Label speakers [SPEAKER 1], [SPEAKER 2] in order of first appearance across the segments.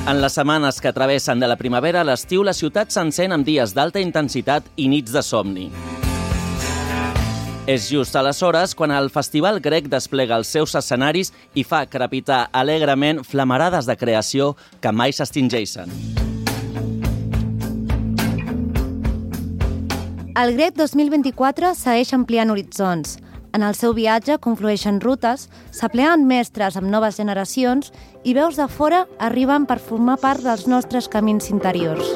[SPEAKER 1] En les setmanes que travessen de la primavera a l'estiu, la ciutat s'encén amb dies d'alta intensitat i nits de somni. És just aleshores quan el Festival Grec desplega els seus escenaris i fa crepitar alegrement flamarades de creació que mai s'extingeixen.
[SPEAKER 2] El Grec 2024 segueix ampliant horitzons. En el seu viatge conflueixen rutes, s'apleen mestres amb noves generacions i veus de fora arriben per formar part dels nostres camins interiors.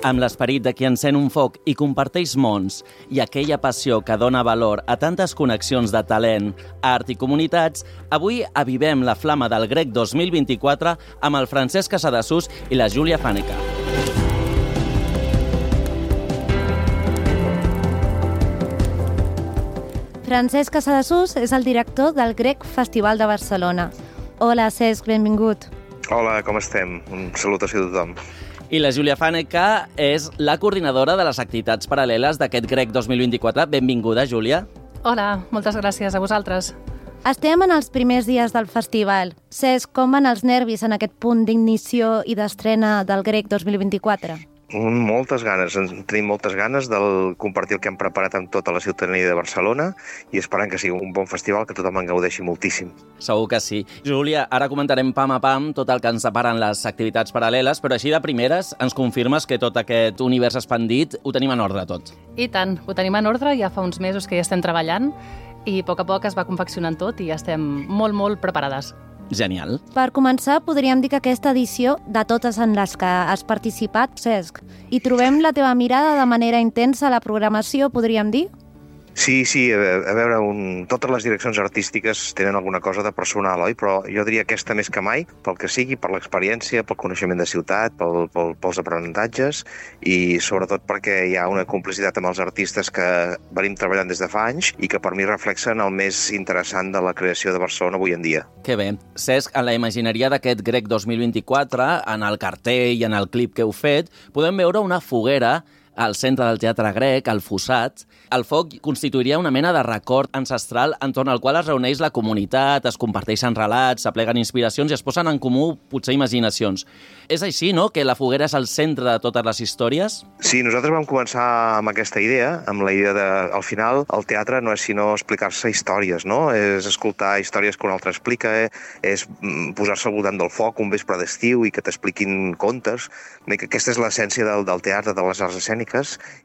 [SPEAKER 1] Amb l'esperit de qui encén un foc i comparteix mons i aquella passió que dona valor a tantes connexions de talent, art i comunitats, avui avivem la flama del Grec 2024 amb el Francesc Casadesús i la Júlia Fàneca.
[SPEAKER 2] Francesc Casadesús és el director del Grec Festival de Barcelona. Hola, Cesc, benvingut.
[SPEAKER 3] Hola, com estem? Un salutació a tothom.
[SPEAKER 1] I la Júlia Fàneca és la coordinadora de les activitats paral·leles d'aquest Grec 2024. Benvinguda, Júlia.
[SPEAKER 4] Hola, moltes gràcies a vosaltres.
[SPEAKER 2] Estem en els primers dies del festival. Cesc, com van els nervis en aquest punt d'ignició i d'estrena del Grec 2024?
[SPEAKER 3] Moltes ganes, tenim moltes ganes de compartir el que hem preparat amb tota la ciutadania de Barcelona i esperant que sigui un bon festival, que tothom en gaudeixi moltíssim.
[SPEAKER 1] Segur que sí. Júlia, ara comentarem pam a pam tot el que ens separen les activitats paral·leles, però així de primeres ens confirmes que tot aquest univers expandit ho tenim en ordre tot.
[SPEAKER 4] I tant, ho tenim en ordre, ja fa uns mesos que hi estem treballant i a poc es va confeccionant tot i ja estem molt preparades.
[SPEAKER 1] Genial.
[SPEAKER 2] Per començar, podríem dir que aquesta edició, de totes en les que has participat, Cesc, hi trobem la teva mirada de manera intensa a la programació, podríem dir?
[SPEAKER 3] Sí, a veure, totes les direccions artístiques tenen alguna cosa de personal, oi? Però jo diria aquesta més que mai, pel que sigui, per l'experiència, pel coneixement de ciutat, pels aprenentatges i sobretot perquè hi ha una complicitat amb els artistes que venim treballant des de fa anys i que per mi reflexen el més interessant de la creació de Barcelona avui en dia.
[SPEAKER 1] Que bé. Cesc, en la imagineria d'aquest Grec 2024, en el cartell i en el clip que heu fet, podem veure una foguera al centre del Teatre Grec, al Fossat. El foc constituiria una mena de record ancestral entorn al qual es reuneix la comunitat, es comparteixen relats, s'apleguen inspiracions i es posen en comú, potser, imaginacions. És així, no?, que la foguera és el centre de totes les històries?
[SPEAKER 3] Sí, nosaltres vam començar amb aquesta idea, amb la idea de, al final, el teatre no és sinó explicar-se històries, no? És escoltar històries que un altre explica, és posar-se al voltant del foc un vespre d'estiu i que t'expliquin contes. Aquesta és l'essència del teatre, de les arts escèniques.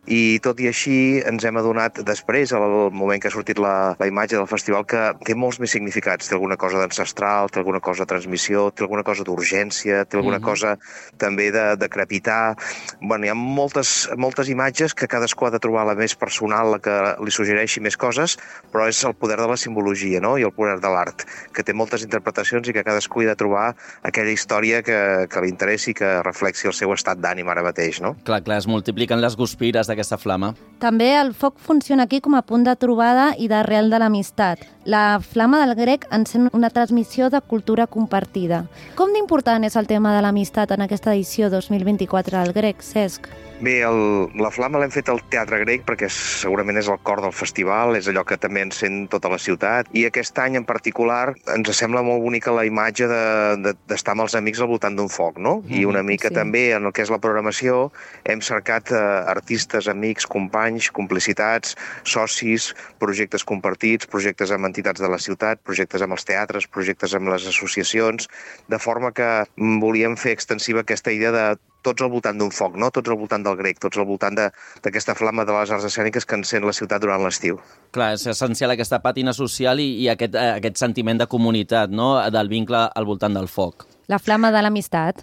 [SPEAKER 3] I tot i així ens hem adonat després, al moment que ha sortit la imatge del festival, que té molts més significats. Té alguna cosa d'ancestral, té alguna cosa de transmissió, té alguna cosa d'urgència, té alguna cosa també de crepitar. Bueno, hi ha moltes imatges que cadascú ha de trobar la més personal, la que li suggereixi més coses, però és el poder de la simbologia, no?, i el poder de l'art, que té moltes interpretacions i que cadascú hi ha de trobar aquella història que li interessi i que reflexi el seu estat d'ànim ara mateix, no?
[SPEAKER 1] Clar, es multipliquen les guspires d'aquesta flama.
[SPEAKER 2] També el foc funciona aquí com a punt de trobada i d'arrel de l'amistat. La flama del Grec encén una transmissió de cultura compartida. Com d'important és el tema de l'amistat en aquesta edició 2024 del Grec, Cesc?
[SPEAKER 3] Bé, la flama l'hem fet al Teatre Grec perquè segurament és el cor del festival, és allò que també encén tota la ciutat, i aquest any en particular ens sembla molt bonica la imatge d'estar amb els amics al voltant d'un foc, no? I una mica també en el que és la programació hem cercat artistes, amics, companys, complicitats, socis, projectes compartits, projectes amb entitats de la ciutat, projectes amb els teatres, projectes amb les associacions, de forma que volíem fer extensiva aquesta idea de tots al voltant d'un foc, no? Tots al voltant del Grec, tots al voltant d'aquesta flama de les arts escèniques que encén la ciutat durant l'estiu.
[SPEAKER 1] Clar, és essencial aquesta pàtina social i aquest sentiment de comunitat, no?, del vincle al voltant del foc.
[SPEAKER 2] La flama de l'amistat.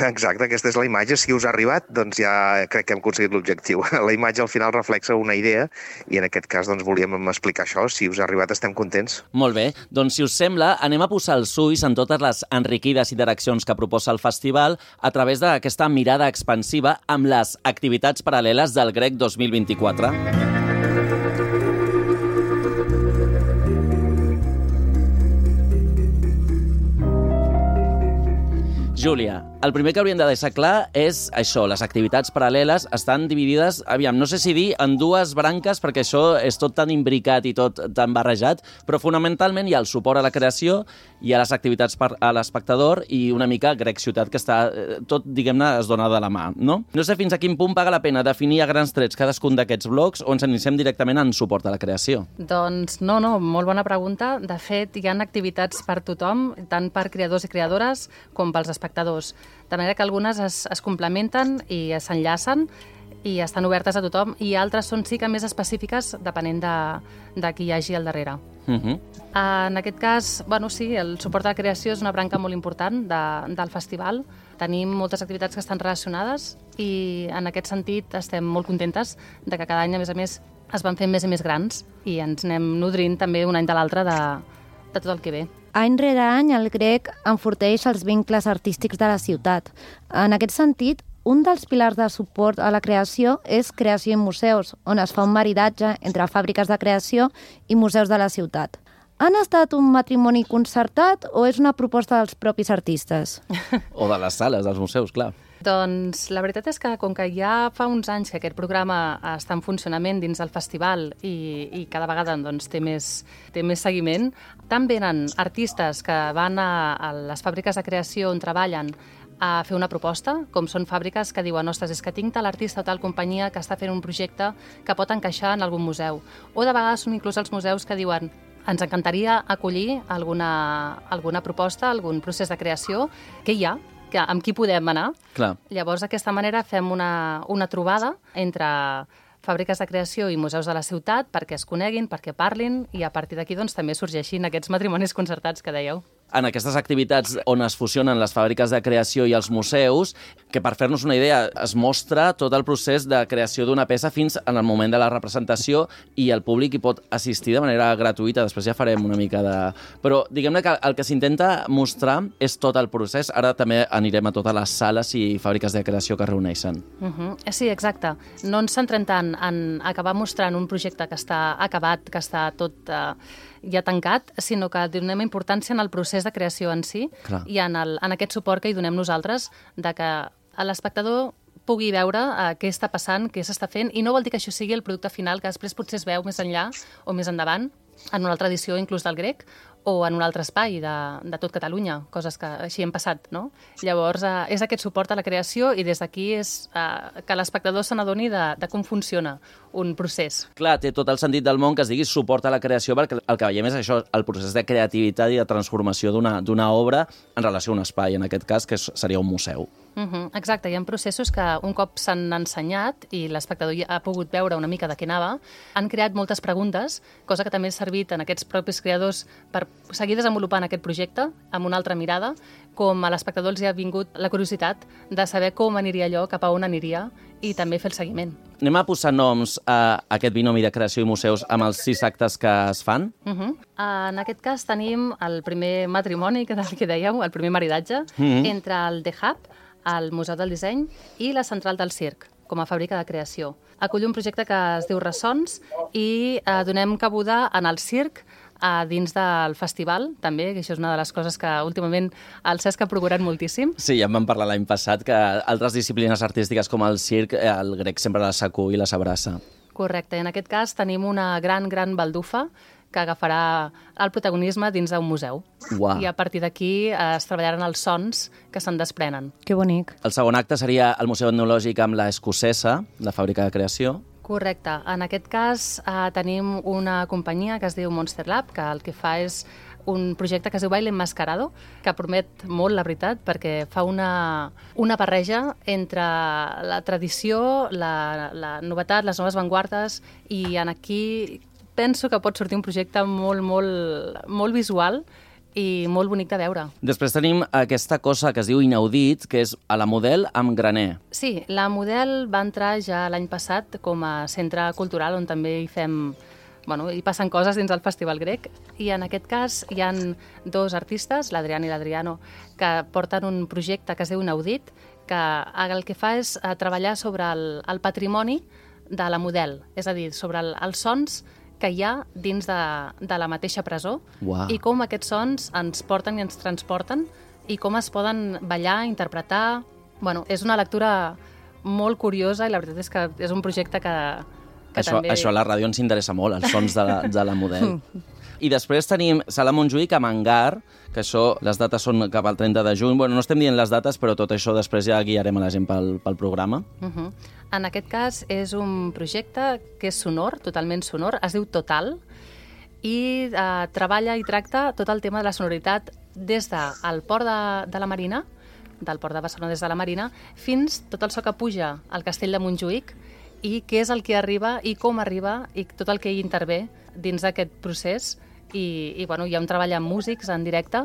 [SPEAKER 3] Exacte, aquesta és la imatge. Si us ha arribat, doncs ja crec que hem aconseguit l'objectiu. La imatge al final reflexa una idea i en aquest cas doncs volíem explicar això. Si us ha arribat estem contents.
[SPEAKER 1] Molt bé, doncs si us sembla anem a posar els ulls en totes les enriquides interaccions que proposa el festival a través d'aquesta mirada expansiva amb les activitats paral·leles del Grec 2024. Júlia, El primer que hauríem de deixar clar és això, les activitats paral·leles estan dividides, aviam, no sé si dir en dues branques, perquè això és tot tan imbricat i tot tan barrejat, però fonamentalment hi ha el suport a la creació, hi ha les activitats a l'espectador i una mica Grec Ciutat, que està tot, diguem-ne, es dona de la mà, no? No sé fins a quin punt paga la pena definir a grans trets cadascun d'aquests blocs o ens iniciem directament en suport a la creació.
[SPEAKER 4] Doncs no, molt bona pregunta. De fet, hi ha activitats per tothom, tant per creadors i creadores com pels espectadors. De manera que algunes es complementen i s'enllacen i estan obertes a tothom, i altres són sí que més específiques depenent de qui hi hagi al darrere. En aquest cas, sí, el suport a la creació és una branca molt important del festival. Tenim moltes activitats que estan relacionades i en aquest sentit estem molt contentes de que cada any, a més, es van fent més i més grans i ens anem nodrint també un any de l'altre de tot el que ve.
[SPEAKER 2] Any rere any, el Grec enforteix els vincles artístics de la ciutat. En aquest sentit, un dels pilars de suport a la creació és Creació i Museus, on es fa un maridatge entre fàbriques de creació i museus de la ciutat. Han estat un matrimoni concertat o és una proposta dels propis artistes?
[SPEAKER 1] O de les sales, dels museus, clar.
[SPEAKER 4] Doncs la veritat és que com que ja fa uns anys que aquest programa està en funcionament dins del festival i cada vegada té més seguiment, tant venen artistes que van a les fàbriques de creació on treballen a fer una proposta, com són fàbriques que diuen ostres, és que tinc tal artista o tal companyia que està fent un projecte que pot encaixar en algun museu. O de vegades són inclús els museus que diuen ens encantaria acollir alguna proposta, algun procés de creació que hi ha, amb qui podem anar.
[SPEAKER 1] Clar.
[SPEAKER 4] Llavors, d'aquesta manera, fem una trobada entre fàbriques de creació i museus de la ciutat perquè es coneguin, perquè parlin, i a partir d'aquí també sorgeixin aquests matrimonis concertats que dèieu.
[SPEAKER 1] En aquestes activitats on es fusionen les fàbriques de creació i els museus, que per fer-nos una idea es mostra tot el procés de creació d'una peça fins en el moment de la representació i el públic hi pot assistir de manera gratuïta. Després ja farem una mica de... Però diguem-ne que el que s'intenta mostrar és tot el procés. Ara també anirem a totes les sales i fàbriques de creació que es reuneixen.
[SPEAKER 4] Sí, exacte. No ens centrem tant en acabar mostrant un projecte que està acabat, que està tot... ja tancat, sinó que donem importància en el procés de creació en si. Clar. I en aquest suport que hi donem nosaltres, de que l'espectador pugui veure què està passant, què s'està fent, i no vol dir que això sigui el producte final, que després potser es veu més enllà o més endavant, en una altra edició inclús del Grec, o en un altre espai de tot Catalunya, coses que així hem passat, no? Llavors, és aquest suport a la creació i des d'aquí és que l'espectador se n'adoni de com funciona un procés.
[SPEAKER 1] Clar, té tot el sentit del món que es digui suport a la creació, perquè el que veiem és això, el procés de creativitat i de transformació d'una obra en relació a un espai, en aquest cas, que seria un museu.
[SPEAKER 4] Exacte, hi ha processos que un cop s'han ensenyat i l'espectador ja ha pogut veure una mica de què anava, han creat moltes preguntes, cosa que també ha servit en aquests propis creadors per seguir desenvolupant aquest projecte amb una altra mirada, com a l'espectador els hi ha vingut la curiositat de saber com aniria allò, cap a on aniria, i també fer el seguiment.
[SPEAKER 1] Anem a posar noms a aquest binomi de creació i museus amb els 6 actes que es fan?
[SPEAKER 4] En aquest cas tenim el primer matrimoni, que dèieu, el primer maridatge, entre el The Hub, el Museu del Disseny, i la Central del Circ, com a fàbrica de creació. Acull un projecte que es diu Ressons i donem cabuda en el circ dins del festival, també, que això és una de les coses que últimament el Cesc ha procurat moltíssim.
[SPEAKER 1] Sí, ja en vam parlar l'any passat, que altres disciplines artístiques com el circ, el Grec sempre les acull i les abraça.
[SPEAKER 4] Correcte, en aquest cas tenim una gran baldufa que agafarà el protagonisme dins d'un museu.
[SPEAKER 1] Uau.
[SPEAKER 4] I a partir d'aquí es treballaran els sons que se'n desprenen.
[SPEAKER 2] Que bonic.
[SPEAKER 1] El segon acte seria el Museu Etnològic amb la Escocesa, la fàbrica de creació.
[SPEAKER 4] Correcte. En aquest cas tenim una companyia que es diu Monster Lab, que el que fa és un projecte que es diu Baile Enmascarado, que promet molt, la veritat, perquè fa una barreja entre la tradició, la novetat, les noves vanguardes, i aquí penso que pot sortir un projecte molt visual i molt bonic de veure.
[SPEAKER 1] Després tenim aquesta cosa que es diu Inaudit, que és a la Model amb Graner.
[SPEAKER 4] Sí, la Model va entrar ja l'any passat com a centre cultural on també hi passen coses dins del Festival Grec, i en aquest cas hi han 2 artistes, l'Adrián i l'Adriano, que porten un projecte que es diu Inaudit, que el que fa és treballar sobre el patrimoni de la Model, és a dir, sobre els sons que hi ha dins de la mateixa presó. Uau. I com aquests sons ens porten i ens transporten i com es poden ballar, interpretar... Bueno, és una lectura molt curiosa i la veritat és que és un projecte que també...
[SPEAKER 1] Això a la ràdio ens interessa molt, els sons de la Model. I després tenim Sala Montjuïc amb Hangar, que això, les dates són cap al 30 de juny. Bueno, no estem dient les dates, però tot això després ja guiarem a la gent pel programa.
[SPEAKER 4] En aquest cas és un projecte que és sonor, totalment sonor, es diu Total, i treballa i tracta tot el tema de la sonoritat des del port de la Marina, del port de Barcelona des de la Marina, fins tot el so que puja al castell de Montjuïc i què és el que arriba i com arriba i tot el que hi intervé dins d'aquest procés. I bueno, hi ha un treball amb músics en directe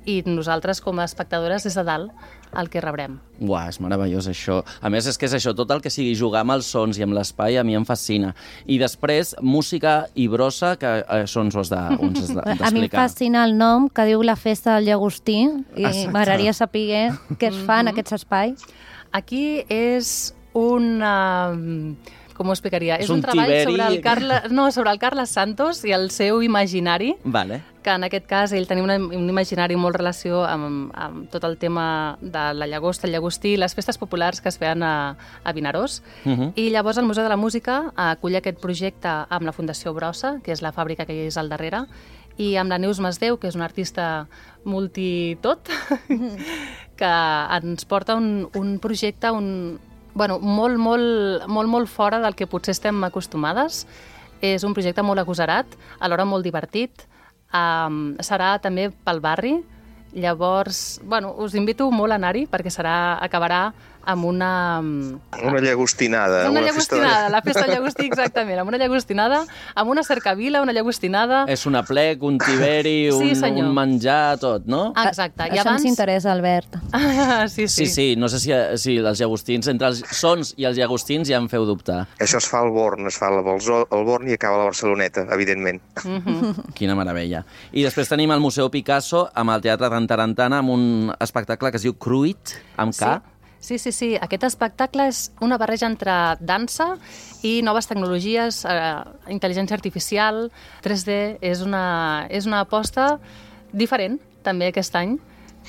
[SPEAKER 4] i nosaltres com a espectadores des de dalt el que rebrem.
[SPEAKER 1] Uau, és meravellós això. A més, és que és això, tot el que sigui jugar amb els sons i amb l'espai a mi em fascina. I després, música i brossa, que això ens ho has d'explicar.
[SPEAKER 2] A mi em fascina el nom, que diu la festa del Llagostí, i m'agradaria saber què es fa en aquests espais.
[SPEAKER 4] Aquí és una... Com ho explicaria? És un treball sobre el Carles Santos i el seu imaginari, que en aquest cas ell tenia un imaginari molt relació amb tot el tema de la llagosta, el llagostí, les festes populars que es feien a Vinaròs. I llavors el Museu de la Música acull aquest projecte amb la Fundació Brossa, que és la fàbrica que hi és al darrere, i amb la Neus Masdeu, que és una artista multitot, que ens porta un projecte, molt fora del que potser estem acostumades. És un projecte molt agosarat, alhora molt divertit. Serà també pel barri. Llavors, us invito molt a anar-hi perquè acabarà amb una...
[SPEAKER 3] Una llagostinada.
[SPEAKER 4] Una llagostinada, la festa del llagostí, exactament. Amb una llagostinada, amb una cercavila, una llagostinada...
[SPEAKER 1] És un aplec, un tiberi, un menjar, tot, no?
[SPEAKER 4] Exacte.
[SPEAKER 2] Això ens interessa, Albert.
[SPEAKER 1] Sí. No sé si els llagostins, entre els sons i els llagostins ja em feu dubtar.
[SPEAKER 3] Això es fa al Born, es fa al Born i acaba a la Barceloneta, evidentment.
[SPEAKER 1] Quina meravella. I després tenim el Museu Picasso amb el Teatre Tarantana amb un espectacle que es diu Cruit, amb K.
[SPEAKER 4] Sí. Aquest espectacle és una barreja entre dansa i noves tecnologies, intel·ligència artificial, 3D. És una aposta diferent, també, aquest any,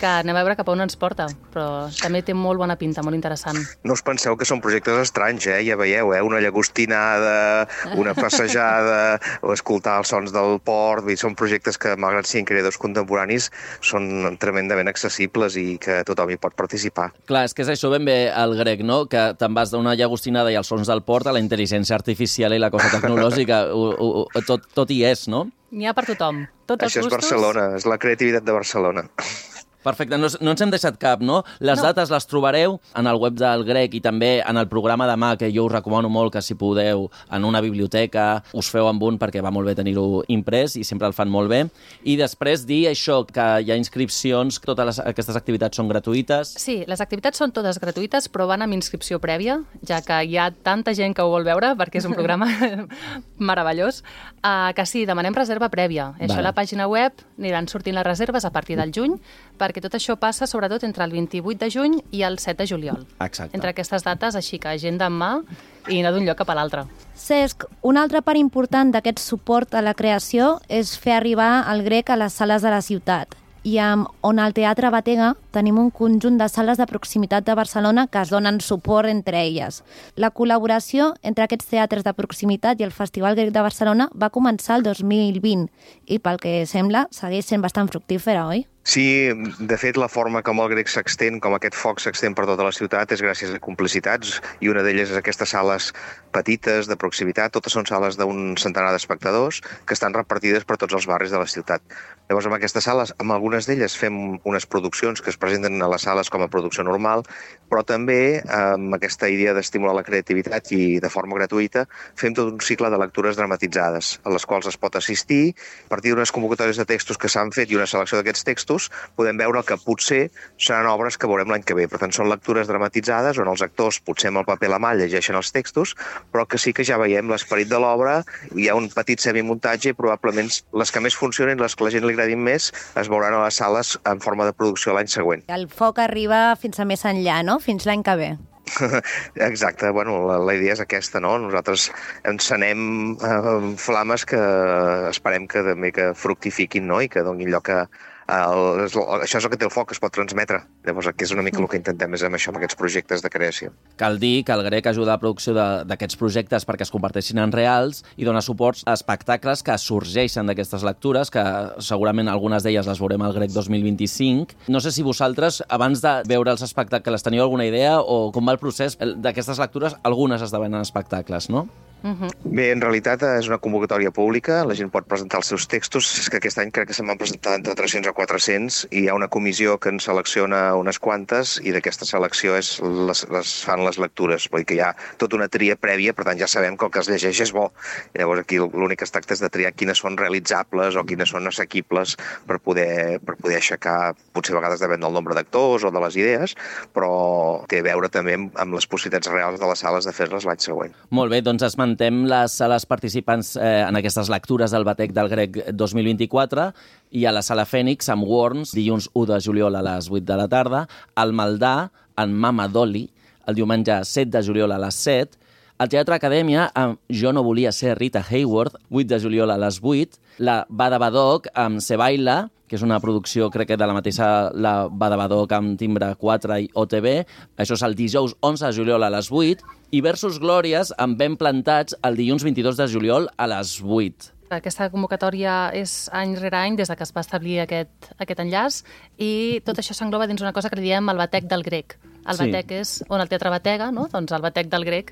[SPEAKER 4] que anem a veure cap a on ens porta, però també té molt bona pinta, molt interessant.
[SPEAKER 3] No us penseu que són projectes estranys, ja veieu, una llagostinada, una passejada, o escoltar els sons del port, són projectes que, malgrat siguin creadors contemporanis, són tremendament accessibles i que tothom hi pot participar.
[SPEAKER 1] Clar, és que és això ben bé el grec, no? Que te'n vas d'una llagostinada i els sons del port a la intel·ligència artificial i la cosa tecnològica, tot hi és, no?
[SPEAKER 4] N'hi ha per tothom.
[SPEAKER 3] Això és Barcelona, és la creativitat de Barcelona.
[SPEAKER 1] Perfecte, no ens hem deixat cap, no? Les dates les trobareu en el web del Grec i també en el programa demà, que jo us recomano molt que si podeu en una biblioteca us feu amb un perquè va molt bé tenir-ho imprès i sempre el fan molt bé. I després dir això, que hi ha inscripcions, totes aquestes activitats són gratuïtes.
[SPEAKER 4] Sí, les activitats són totes gratuïtes, però van amb inscripció prèvia, ja que hi ha tanta gent que ho vol veure, perquè és un programa meravellós, que sí, demanem reserva prèvia. Això a la pàgina web aniran sortint les reserves a partir del juny, perquè tot això passa sobretot entre el 28 de juny i el 7 de juliol.
[SPEAKER 1] Exacte.
[SPEAKER 4] Entre aquestes dates, així que agenda en mà i anar d'un lloc cap a l'altre.
[SPEAKER 2] Cesc, una altra part important d'aquest suport a la creació és fer arribar el grec a les sales de la ciutat. I on al Teatre Batega tenim un conjunt de sales de proximitat de Barcelona que es donen suport entre elles. La col·laboració entre aquests teatres de proximitat i el Festival Grec de Barcelona va començar el 2020 i, pel que sembla, segueix sent bastant fructífera, oi?
[SPEAKER 3] Sí, de fet, la forma com el grec s'extén, com aquest foc s'extén per tota la ciutat, és gràcies a complicitats, i una d'elles és aquestes sales petites, de proximitat. Totes són sales d'un centenar d'espectadors que estan repartides per tots els barris de la ciutat. Llavors, amb aquestes sales, amb algunes d'elles fem unes produccions que es presenten a les sales com a producció normal, però també, amb aquesta idea d'estimular la creativitat i de forma gratuïta, fem tot un cicle de lectures dramatitzades, a les quals es pot assistir. A partir d'unes convocatòries de textos que s'han fet i una selecció d'aquests textos, podem veure que potser seran obres que veurem l'any que ve. Per tant, són lectures dramatitzades on els actors, potser amb el paper a la mà, llegeixen els textos, però que sí que ja veiem l'esperit de l'obra. Hi ha un petit semimuntatge i probablement les que més funcionen, les que la gent li agradin més, es veuran a les sales en forma de producció l'any següent.
[SPEAKER 2] El foc arriba fins a més enllà, no? Fins l'any que ve.
[SPEAKER 3] Exacte, la idea és aquesta, no? Nosaltres encenem flames que esperem que també que fructifiquin, no? I que donin lloc a Això és el que té el foc, es pot transmetre. Llavors aquí és una mica el que intentem és amb això, amb aquests projectes de creació.
[SPEAKER 1] Cal dir que el grec ajuda a la producció d'aquests projectes perquè es converteixin en reals i dona suports a espectacles que sorgeixen d'aquestes lectures, que segurament algunes d'elles les veurem al grec 2025. No sé si vosaltres, abans de veure els espectacles, teniu alguna idea o com va el procés d'aquestes lectures? Algunes esdevenen espectacles, no?
[SPEAKER 3] Bé, en realitat és una convocatòria pública, la gent pot presentar els seus textos, és que aquest any crec que se'n van presentar entre 300 o 400 i hi ha una comissió que en selecciona unes quantes i d'aquesta selecció les fan les lectures, vull dir que hi ha tota una tria prèvia, per tant ja sabem que el que es llegeix és bo. I llavors aquí l'únic que es tracta és de triar quines són realitzables o quines són assequibles per poder aixecar, potser a vegades depèn del nombre d'actors o de les idees, però té a veure també amb les possibilitats reals de les sales de fer-les l'any següent.
[SPEAKER 1] Molt bé, doncs esmentem les sales participants en aquestes lectures del Batec del Grec 2024 i a la Sala Fènix amb Worms, dilluns 1 de juliol a les 8 de la tarda, al Maldà, en Mama Dolly, el diumenge 7 de juliol a les 7, al Teatre Acadèmia amb Jo no volia ser Rita Hayworth, 8 de juliol a les 8, la Bada Badoc amb Se Baila, que és una producció, crec que de la mateixa la Bada Badoc amb Timbre 4 i OTB. Això és el dijous 11 de juliol a les 8. I Versus Glòries amb Ben Plantats el dilluns 22 de juliol a les 8.
[SPEAKER 4] Aquesta convocatòria és any rere any des de que es va establir aquest enllaç i tot això s'engloba dins una cosa que li diem el Batec del Grec. El Batec és on el teatre batega, no? Doncs el Batec del Grec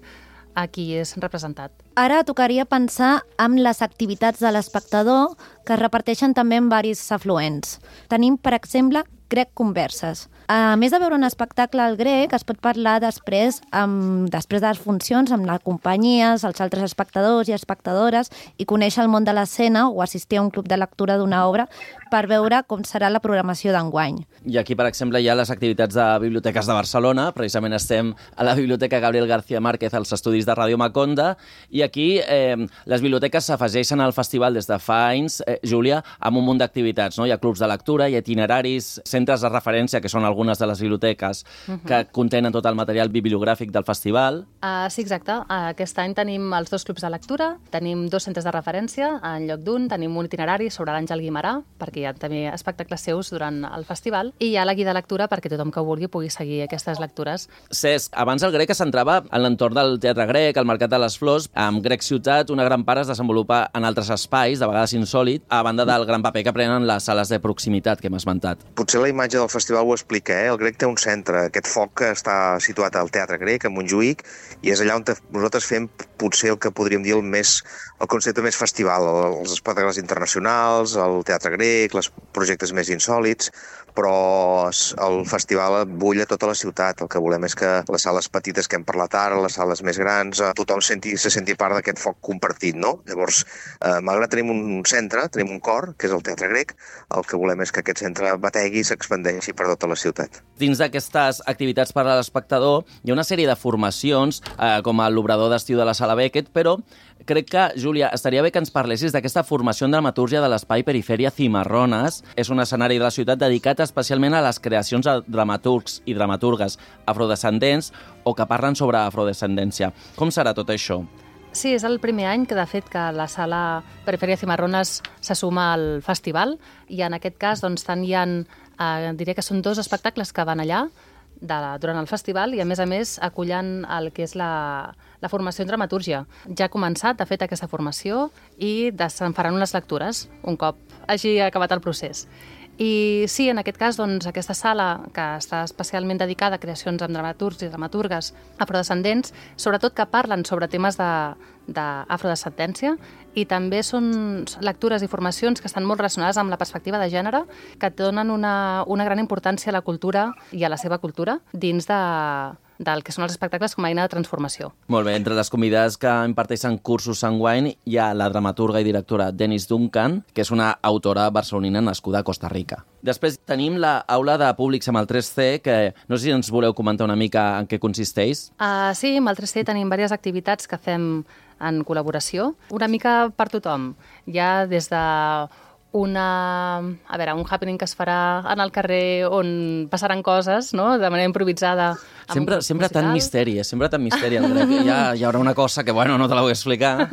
[SPEAKER 4] aquí és representat.
[SPEAKER 2] Ara tocaria pensar en les activitats de l'espectador que es reparteixen també en varis afluents. Tenim, per exemple, Grec Converses. A més de veure un espectacle al grec, es pot parlar després de les funcions amb la companyia, els altres espectadors i espectadores i conèixer el món de l'escena o assistir a un club de lectura d'una obra per veure com serà la programació d'enguany.
[SPEAKER 1] I aquí, per exemple, hi ha les activitats de biblioteques de Barcelona. Precisament estem a la Biblioteca Gabriel García Márquez, als estudis de Ràdio Maconda, i aquí les biblioteques s'afegeixen al festival des de fa anys, Júlia, amb un munt d'activitats, no? Hi ha clubs de lectura, hi ha itineraris, centres de referència, que són algunes de les biblioteques que contenen tot el material bibliogràfic del festival.
[SPEAKER 4] Sí, exacte. Aquest any tenim els 2 clubs de lectura, tenim 2 centres de referència, en lloc d'un tenim un itinerari sobre l'Àngel Guimerà, perquè hi ha també espectacles seus durant el festival, i hi ha la guia de lectura perquè tothom que ho vulgui pugui seguir aquestes lectures.
[SPEAKER 1] Cesc, abans el grec es centrava en l'entorn del Teatre Grec, al Mercat de les Flors. Amb Grec Ciutat, una gran part es desenvolupa en altres espais, de vegades insòlit, a banda del gran paper que prenen les sales de proximitat que hem esmentat.
[SPEAKER 3] Potser la imatge del festival ho explica, El Grec té un centre, aquest foc que està situat al Teatre Grec, a Montjuïc, i és allà on nosaltres fem potser el que podríem dir el concepte més festival, els espectacles internacionals, el Teatre Grec, els projectes més insòlits, però el festival bull a tota la ciutat. El que volem és que les sales petites que hem parlat ara, les sales més grans, tothom se senti part d'aquest foc compartit, no? Llavors, malgrat tenim un centre, tenim un cor, que és el Teatre Grec, el que volem és que aquest centre bategui i s'expandeixi per tota la ciutat.
[SPEAKER 1] Dins d'aquestes activitats per a l'espectador hi ha una sèrie de formacions, com l'obrador d'estiu de la Sala Beckett, però crec que, Júlia, estaria bé que ens parlessis d'aquesta formació en dramatúrgia de l'Espai Perifèria Cimarrones. És un escenari de la ciutat dedicat especialment a les creacions de dramaturgs i dramaturgues afrodescendents o que parlen sobre afrodescendència. Com serà tot això?
[SPEAKER 4] Sí, és el primer any que, de fet, que la Sala Perifèria Cimarrones se suma al festival i en aquest cas, doncs, tant hi ha, diré que són 2 espectacles que van allà durant el festival i, a més, acullen el que és la formació en dramatúrgia. Ja ha començat, de fet, aquesta formació i se'n faran unes lectures un cop hagi acabat el procés. I sí, en aquest cas, doncs, aquesta sala, que està especialment dedicada a creacions amb dramaturgs i dramaturgues afrodescendents, sobretot que parlen sobre temes d'afrodescendència, i també són lectures i formacions que estan molt relacionades amb la perspectiva de gènere, que donen una gran importància a la cultura i a la seva cultura dins del que són els espectacles com a eina de transformació.
[SPEAKER 1] Molt bé, entre les convidades que imparteixen cursos enguany hi ha la dramaturga i directora Dennis Duncan, que és una autora barcelonina nascuda a Costa Rica. Després tenim l'aula de públics amb el 3C, que no sé si ens voleu comentar una mica en què consisteix.
[SPEAKER 4] Sí, amb el 3C tenim diverses activitats que fem en col·laboració, una mica per tothom. Hi ha des de un happening que es farà en el carrer on passaran coses, no?, de manera improvisada.
[SPEAKER 1] Sempre tan misteri, el grec. Hi haurà una cosa que, no te la vull explicar.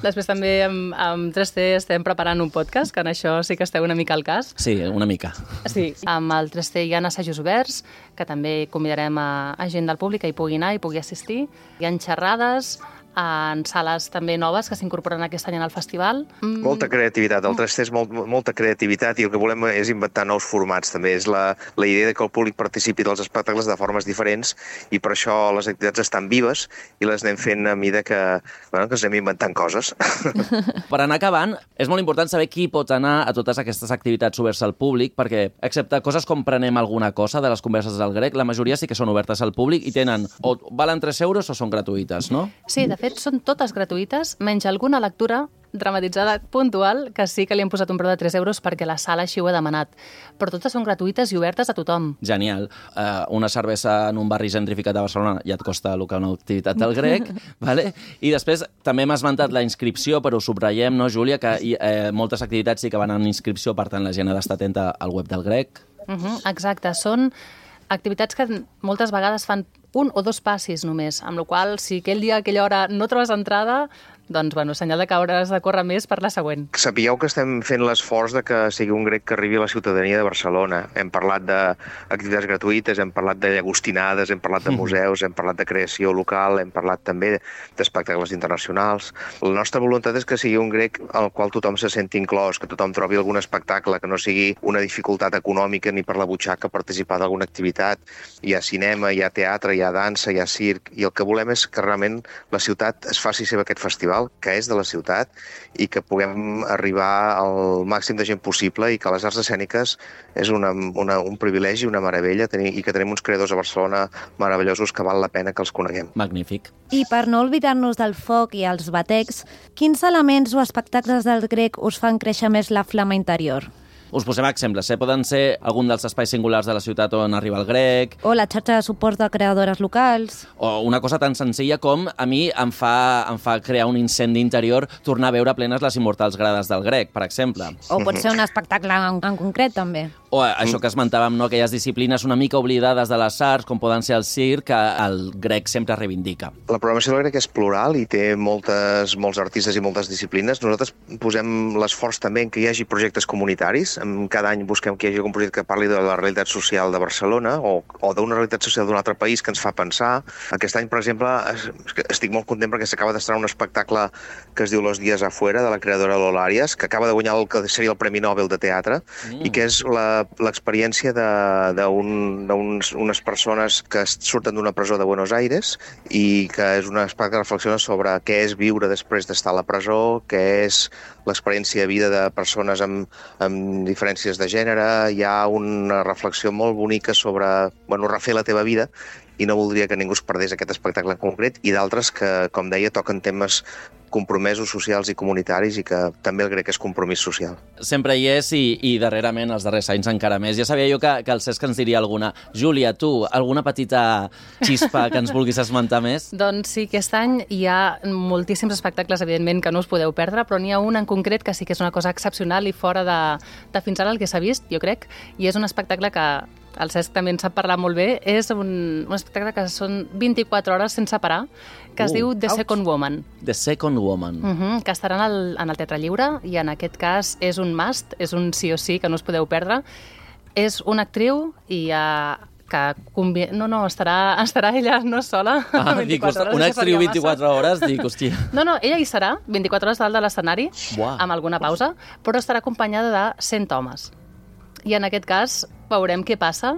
[SPEAKER 4] Després també amb 3C estem preparant un podcast, que en això sí que esteu una mica al cas.
[SPEAKER 1] Sí, una mica.
[SPEAKER 4] Sí, amb el 3C hi ha assajos oberts, que també convidarem a gent del públic que hi pugui anar i pugui assistir. Hi ha xerrades en sales també noves que s'incorporen aquest any al festival.
[SPEAKER 3] Molta creativitat, el 3C és molta creativitat i el que volem és inventar nous formats també, és la idea que el públic participi dels espectacles de formes diferents i per això les activitats estan vives i les anem fent a mida que ens anem inventant coses.
[SPEAKER 1] Per anar acabant, és molt important saber qui pot anar a totes aquestes activitats obertes al públic, perquè excepte coses com prenem alguna cosa de les converses del grec, la majoria sí que són obertes al públic i tenen o valen 3 euros o són gratuïtes, no?
[SPEAKER 4] Sí, de fet, són totes gratuïtes, menys alguna lectura dramatitzada puntual, que sí que li hem posat un preu de 3 euros perquè la sala així ho ha demanat. Però totes són gratuïtes i obertes a tothom.
[SPEAKER 1] Genial. Una cervesa en un barri gentrificat de Barcelona ja et costa el que una activitat del grec, vale? I després també hem esmentat la inscripció, però ho subratllem, no, Júlia, que moltes activitats sí que van en inscripció, per tant la gent ha d'estar atenta al web del grec.
[SPEAKER 4] Exacte, són activitats que moltes vegades fan 1 o 2 passis només, amb la qual cosa, si aquell dia, a aquella hora, no trobes entrada, doncs, senyal de que hauràs de córrer més per la següent.
[SPEAKER 3] Sapigueu que estem fent l'esforç de que sigui un grec que arribi a la ciutadania de Barcelona. Hem parlat d'activitats gratuïtes, hem parlat de llagostinades, hem parlat de museus, hem parlat de creació local, hem parlat també d'espectacles internacionals. La nostra voluntat és que sigui un grec al qual tothom se senti inclòs, que tothom trobi algun espectacle, que no sigui una dificultat econòmica ni per la butxaca participar d'alguna activitat. Hi ha cinema, hi ha teatre, hi ha dansa, hi ha circ, i el que volem és que realment la ciutat es faci seva aquest festival, que és de la ciutat, i que puguem arribar al màxim de gent possible i que les arts escèniques és un privilegi, una meravella, i que tenim uns creadors a Barcelona meravellosos que val la pena que els coneguem.
[SPEAKER 1] Magnífic.
[SPEAKER 2] I per no oblidar-nos del foc i els batecs, quins elements o espectacles del grec us fan créixer més la flama interior?
[SPEAKER 1] Us posem exemples, poden ser algun dels espais singulars de la ciutat on arriba el grec...
[SPEAKER 2] O la xarxa de suport de creadores locals...
[SPEAKER 1] O una cosa tan senzilla com a mi em fa crear un incendi interior tornar a veure plenes les immortals grades del grec, per exemple.
[SPEAKER 2] O pot ser un espectacle en concret, també.
[SPEAKER 1] O això que esmentàvem, no? Aquelles disciplines una mica oblidades de les arts, com poden ser el circ, que el grec sempre reivindica.
[SPEAKER 3] La programació del grec és plural i té molts artistes i moltes disciplines. Nosaltres posem l'esforç també en que hi hagi projectes comunitaris. Cada any busquem que hi hagi un projecte que parli de la realitat social de Barcelona o d'una realitat social d'un altre país que ens fa pensar. Aquest any, per exemple, estic molt content perquè s'acaba d'estrenar un espectacle que es diu Los días afuera, de la creadora Lola Arias, que acaba de guanyar el que seria el Premi Nobel de Teatre, i que és l'experiència d'unes persones que surten d'una presó de Buenos Aires i que és un espectacle que reflexiona sobre què és viure després d'estar a la presó, què és l'experiència de vida de persones amb diferències de gènere. Hi ha una reflexió molt bonica sobre refer la teva vida, i no voldria que ningú es perdés aquest espectacle en concret, i d'altres que, com deia, toquen temes compromesos socials i comunitaris, i que també el grec és compromís social.
[SPEAKER 1] Sempre hi és, i darrerament, els darrers anys encara més. Ja sabia jo que el Cesc ens diria alguna. Júlia, tu, alguna petita xispa que ens vulguis esmentar més?
[SPEAKER 4] Doncs sí, aquest any hi ha moltíssims espectacles, evidentment, que no us podeu perdre, però n'hi ha un en concret que sí que és una cosa excepcional i fora de fins ara el que s'ha vist, jo crec, i és un espectacle que el Cesc també en sap parlar molt bé. És un espectacle que són 24 hores sense parar, que es diu The Second Woman.
[SPEAKER 1] The Second Woman.
[SPEAKER 4] Que estarà en el Teatre Lliure, i en aquest cas és un must, és un sí o sí que no us podeu perdre. És una actriu i estarà ella no sola 24 hores.
[SPEAKER 1] Una actriu 24 hores, dic, hòstia.
[SPEAKER 4] No, ella hi serà 24 hores dalt de l'escenari, amb alguna pausa, però estarà acompanyada de 100 homes. I en aquest cas veurem què passa.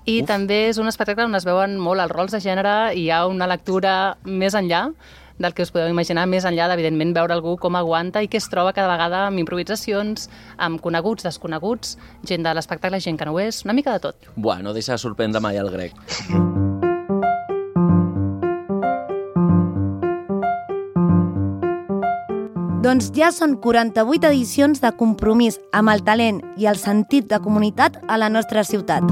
[SPEAKER 4] I també és un espectacle on es veuen molt els rols de gènere i hi ha una lectura més enllà del que us podeu imaginar, més enllà d'evidentment veure algú com aguanta i què es troba cada vegada amb improvisacions, amb coneguts, desconeguts, gent de l'espectacle, gent que no ho és, una mica de tot.
[SPEAKER 1] No deixa de sorprendre mai el grec.
[SPEAKER 2] Doncs ja són 48 edicions de compromís amb el talent i el sentit de comunitat a la nostra ciutat.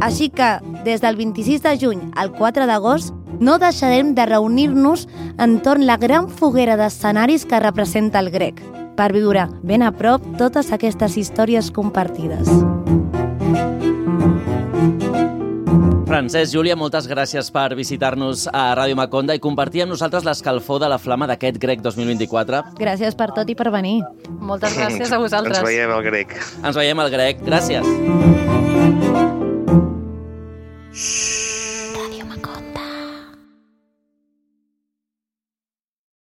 [SPEAKER 2] Així que, des del 26 de juny al 4 d'agost, no deixarem de reunir-nos entorn la gran foguera d'escenaris que representa el grec, per viure ben a prop totes aquestes històries compartides.
[SPEAKER 1] Francesc, Júlia, moltes gràcies per visitar-nos a Ràdio Maconda i compartir amb nosaltres l'escalfor de la flama d'aquest Grec 2024.
[SPEAKER 2] Gràcies per tot i per venir.
[SPEAKER 4] Moltes gràcies a vosaltres.
[SPEAKER 3] Ens veiem al Grec.
[SPEAKER 1] Ens veiem al Grec. Gràcies.
[SPEAKER 2] Ràdio Maconda.